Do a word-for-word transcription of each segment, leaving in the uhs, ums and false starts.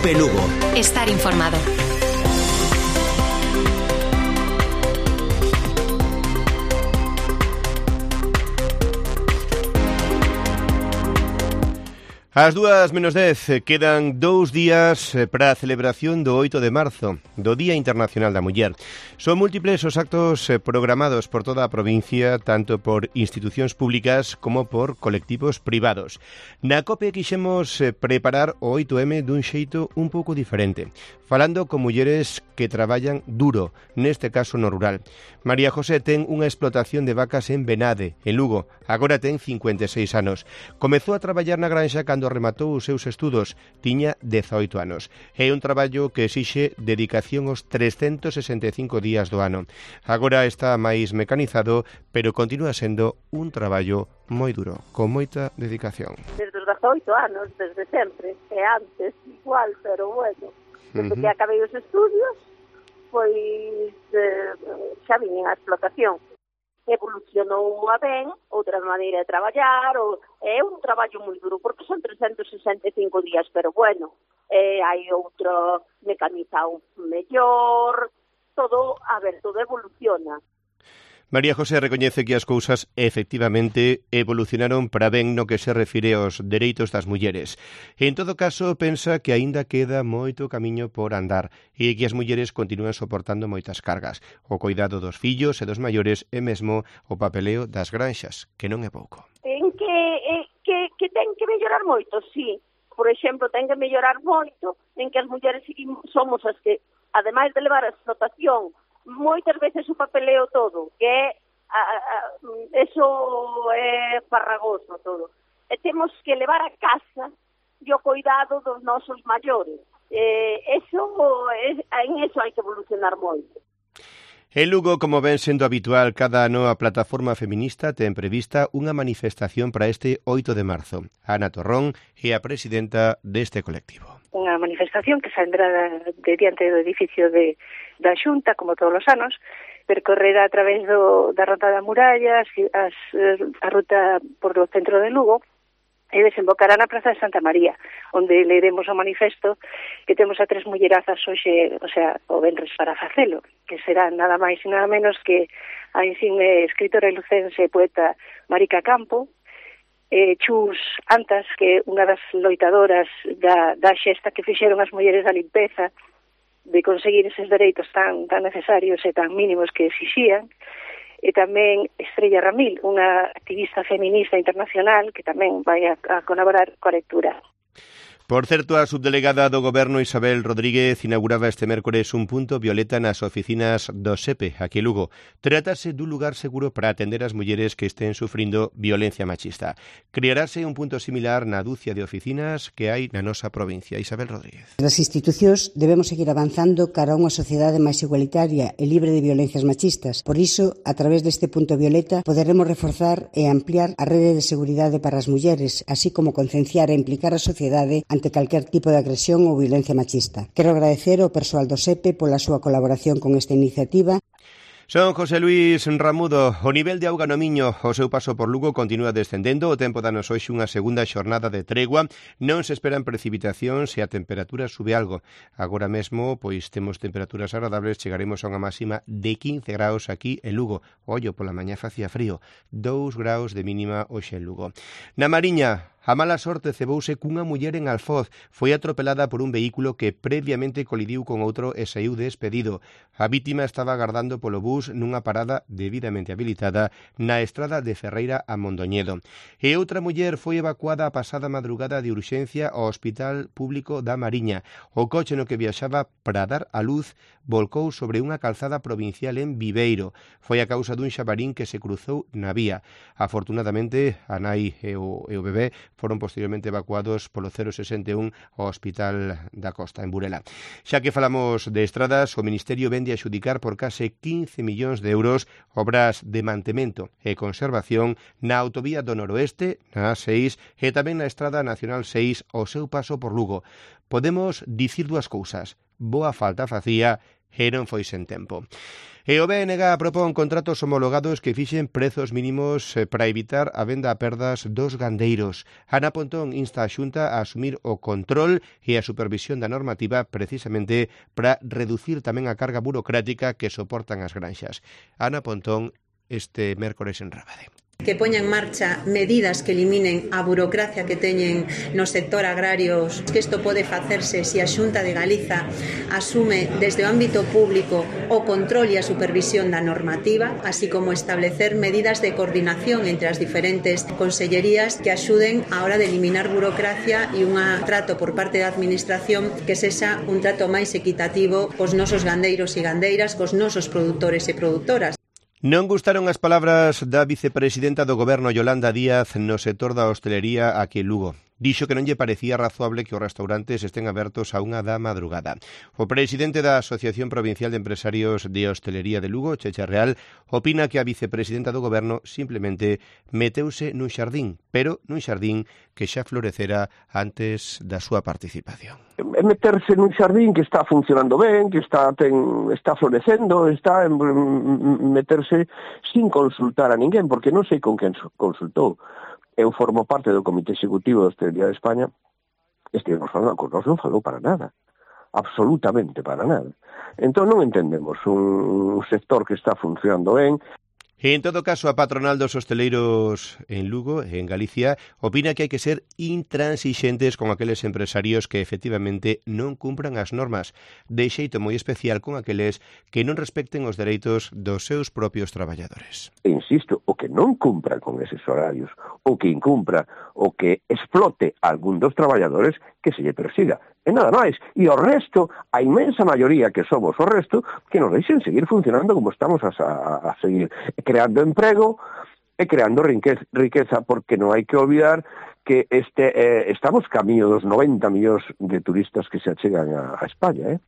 Cope Lugo. Estar informado. Ás dúas menos dez, quedan dous días para a celebración do oito de marzo, do Día Internacional da Muller. Son múltiples os actos programados por toda a provincia, tanto por institucións públicas como por colectivos privados. Na COPE quixemos preparar o oito eme dun xeito un pouco diferente, falando con mulleres que traballan duro, neste caso no rural. María José ten unha explotación de vacas en Benade, en Lugo. Agora ten cincuenta e seis anos. Comezou a traballar na granxa cando rematou os seus estudos, tiña dezaoito anos. É un traballo que exixe dedicación aos trescentos sesenta e cinco días do ano. Agora está máis mecanizado, pero continúa sendo un traballo moi duro, con moita dedicación. Desde os dezaoito anos, desde sempre, e antes igual, pero bueno, desde uh-huh. que acabei os estudios, pois eh, xa vine a explotación. Evolucionou a ben, outra maneira de traballar, ou, é un traballo moi duro, porque son trescentos sesenta e cinco días, pero bueno, eh, hai outro mecanizado mellor, todo, a ver, todo evoluciona. María José recoñece que as cousas efectivamente evolucionaron para ben no que se refire aos dereitos das mulleres. En todo caso, pensa que aínda queda moito camiño por andar e que as mulleres continúan soportando moitas cargas, o cuidado dos fillos e dos maiores e mesmo o papeleo das granxas, que non é pouco. En que, eh, que, que ten que mellorar moito, sí. Por exemplo, ten que mellorar moito en que as mulleres somos as que, ademais de levar a explotación, moitas veces o papeleo todo, que é, a, a, eso é farragoso todo. E temos que levar a casa e o cuidado dos nosos maiores. Eh, eso, é, en eso hai que evolucionar moito. En Lugo, como ven sendo habitual, cada ano a plataforma feminista ten prevista unha manifestación para este oito de marzo. Ana Torrón é a presidenta deste colectivo. Unha manifestación que saldrá de diante do edificio de, da Xunta, como todos os anos, percorrerá a través do, da Rota da Muralla, as, a ruta por o centro de Lugo, e desembocará na Praza de Santa María, onde leeremos o manifesto que temos a tres mullerazas hoxe, o sea, o venres para facelo, que será nada máis e nada menos que a insigne escritora lucense e poeta Marica Campo, eh, Chus Antas, que é unha das loitadoras da, da xesta que fixeron as mulleres da limpeza, de conseguir eses dereitos tan, tan necesarios e tan mínimos que exixían, e tamén Estrella Ramil, unha activista feminista internacional que tamén vai a, a colaborar coa lectura. Por certo, a subdelegada do Goberno Isabel Rodríguez inauguraba este mércores un punto violeta nas oficinas do S E P E, aquí en Lugo. Trátase dun lugar seguro para atender as mulleres que estén sufrindo violencia machista. Crearase un punto similar na dúcia de oficinas que hai na nosa provincia. Isabel Rodríguez. As institucións debemos seguir avanzando cara a unha sociedade máis igualitaria e libre de violencias machistas. Por iso, a través deste punto violeta, poderemos reforzar e ampliar a rede de seguridade para as mulleres, así como concienciar e implicar a sociedade ante calquer tipo de agresión ou violencia machista. Quero agradecer ao persoal do S E P E pola súa colaboración con esta iniciativa. Son José Luis Ramudo. O nivel de auga no Miño, o seu paso por Lugo continúa descendendo. O tempo danos hoxe unha segunda xornada de tregua. Non se esperan precipitacións e a temperatura sube algo. Agora mesmo, pois temos temperaturas agradables, chegaremos a unha máxima de quince graus aquí en Lugo. Ollo, pola mañá facía frío. dous graus de mínima hoxe en Lugo. Na Mariña, a mala sorte cebouse cunha muller en Alfoz. Foi atropelada por un vehículo que previamente colidiu con outro e saiu despedido. A vítima estaba agardando polo bus nunha parada debidamente habilitada na estrada de Ferreira a Mondoñedo. E outra muller foi evacuada a pasada madrugada de urxencia ao Hospital Público da Mariña. O coche no que viaxaba para dar a luz volcou sobre unha calzada provincial en Viveiro. Foi a causa dun xabarín que se cruzou na vía. Afortunadamente, a nai e o, e o bebé foron posteriormente evacuados polo cero sesenta e un ao Hospital da Costa, en Burela. Xa que falamos de estradas, o Ministerio vende a xudicar por case quince millóns de euros obras de mantemento e conservación na autovía do Noroeste, na A seis, e tamén na Estrada Nacional seis ao seu paso por Lugo. Podemos dicir dúas cousas: boa falta facía e non foi sen tempo. E o B N G propón contratos homologados que fixen prezos mínimos para evitar a venda a perdas dos gandeiros. Ana Pontón insta a Xunta a asumir o control e a supervisión da normativa precisamente para reducir tamén a carga burocrática que soportan as granxas. Ana Pontón este mércores en Rábade. Que poña en marcha medidas que eliminen a burocracia que teñen no sector agrario, que isto pode facerse se a Xunta de Galiza asume desde o ámbito público o control e a supervisión da normativa, así como establecer medidas de coordinación entre as diferentes consellerías que axuden á hora de eliminar burocracia e un trato por parte da administración que sexa un trato máis equitativo cos nosos gandeiros e gandeiras, cos nosos produtores e produtoras. Non gustaron as palabras da vicepresidenta do Goberno Yolanda Díaz no sector da hostelería aquí en Lugo. Dixo que non lle parecía razoable que os restaurantes estén abertos a unha da madrugada. O presidente da Asociación Provincial de Empresarios de Hostelería de Lugo, Checha Real, opina que a vicepresidenta do Goberno simplemente meteuse nun xardín, pero nun xardín que xa florecera antes da súa participación. É meterse nun xardín que está funcionando ben, que está ten, está florecendo, está en, meterse sin consultar a ninguén, porque non sei con quen consultou. Eu formo parte do Comité Executivo da Hostelería de España, estivemos falando con nós, non falou para nada, absolutamente para nada. Entón non entendemos un sector que está funcionando ben. En todo caso, a patronal dos hosteleiros en Lugo, en Galicia, opina que hai que ser intransixentes con aqueles empresarios que efectivamente non cumpran as normas, de xeito moi especial con aqueles que non respecten os dereitos dos seus propios traballadores. Insisto, o que non cumpra con eses horarios, o que incumpra, o que explote algún dos traballadores, que se lle persiga. E nada máis. E o resto, a inmensa maioría que somos o resto, que nos deixen seguir funcionando como estamos a, a, a seguir creando emprego e creando riqueza, porque non hai que olvidar que este eh, estamos camiño dos noventa millóns de turistas que se achegan a, a España, eh?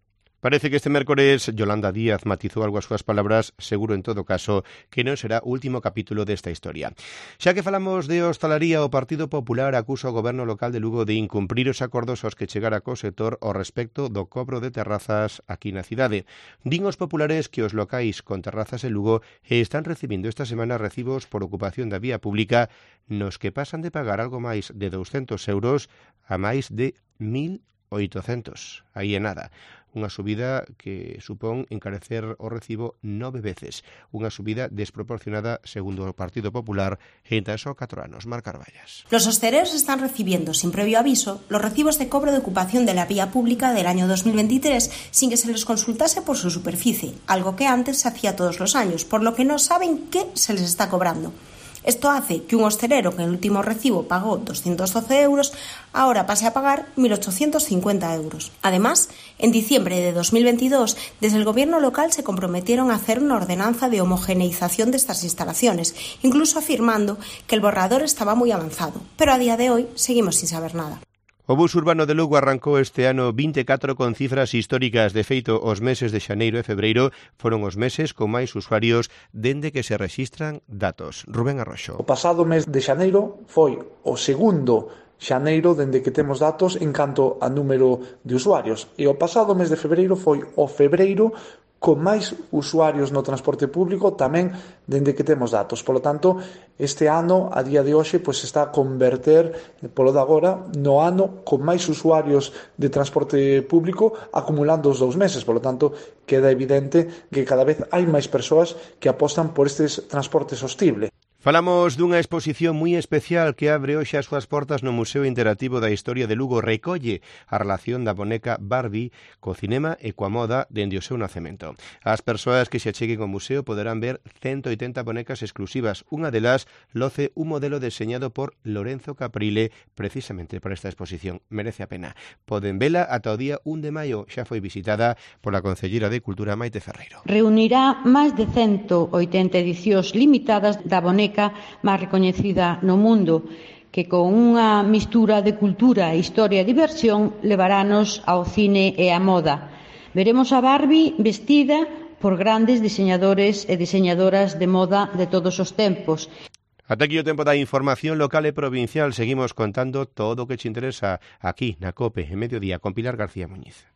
Parece que este mércores Yolanda Díaz matizou algo as súas palabras, seguro en todo caso que non será o último capítulo desta historia. Xa que falamos de hostalaría, o Partido Popular acusa o Goberno local de Lugo de incumprir os acordos aos que chegara co sector ao respecto do cobro de terrazas aquí na cidade. Din os populares que os locais con terrazas en Lugo están recibindo esta semana recibos por ocupación da vía pública nos que pasan de pagar algo máis de douscentos euros a máis de mil oitocentos. Aí é nada. Unha subida que supón encarecer o recibo nove veces. Unha subida desproporcionada, segundo o Partido Popular, en tan só catro anos. Mar Carballas. Los hosteleros están recibiendo, sin previo aviso, los recibos de cobro de ocupación de la vía pública del año dos mil veintitrés sin que se les consultase por su superficie, algo que antes se hacía todos los años, por lo que no saben qué se les está cobrando. Esto hace que un hostelero que en el último recibo pagó doscientos doce euros, ahora pase a pagar mil ochocientos cincuenta euros. Además, en diciembre de dos mil veintidós, desde el gobierno local se comprometieron a hacer una ordenanza de homogeneización de estas instalaciones, incluso afirmando que el borrador estaba muy avanzado. Pero a día de hoy seguimos sin saber nada. O bus urbano de Lugo arrancou este ano vinte e catro con cifras históricas. De feito, os meses de xaneiro e febreiro foron os meses con máis usuarios dende que se rexistran datos. Rubén Arroxo. O pasado mes de xaneiro foi o segundo xaneiro dende que temos datos en canto a número de usuarios. E o pasado mes de febreiro foi o febreiro con máis usuarios no transporte público tamén dende que temos datos. Por lo tanto, este ano, a día de hoxe, pois está a converter, polo de agora, no ano con máis usuarios de transporte público acumulando os dous meses. Por lo tanto, queda evidente que cada vez hai máis persoas que apostan por estes transportes sostibles. Falamos dunha exposición moi especial que abre hoxe as súas portas no Museo Interactivo da Historia de Lugo. Recolle a relación da boneca Barbie co cinema e coa moda dende o seu nacemento. As persoas que se acheguen ao museo poderán ver ciento oitenta bonecas exclusivas. Unha delas loce un modelo deseñado por Lorenzo Caprile precisamente para esta exposición. Merece a pena. Poden vela ata o día un de maio. Xa foi visitada pola Concellera de Cultura Maite Ferreiro. Reunirá máis de ciento oitenta edicións limitadas da boneca máis recoñecida no mundo, que con unha mistura de cultura, historia e diversión levarános ao cine e á moda. Veremos a Barbie vestida por grandes diseñadores e diseñadoras de moda de todos os tempos. Ata aquí o tempo da información local e provincial. Seguimos contando todo o que te interesa aquí na COPE en Mediodía con Pilar García Muñiz.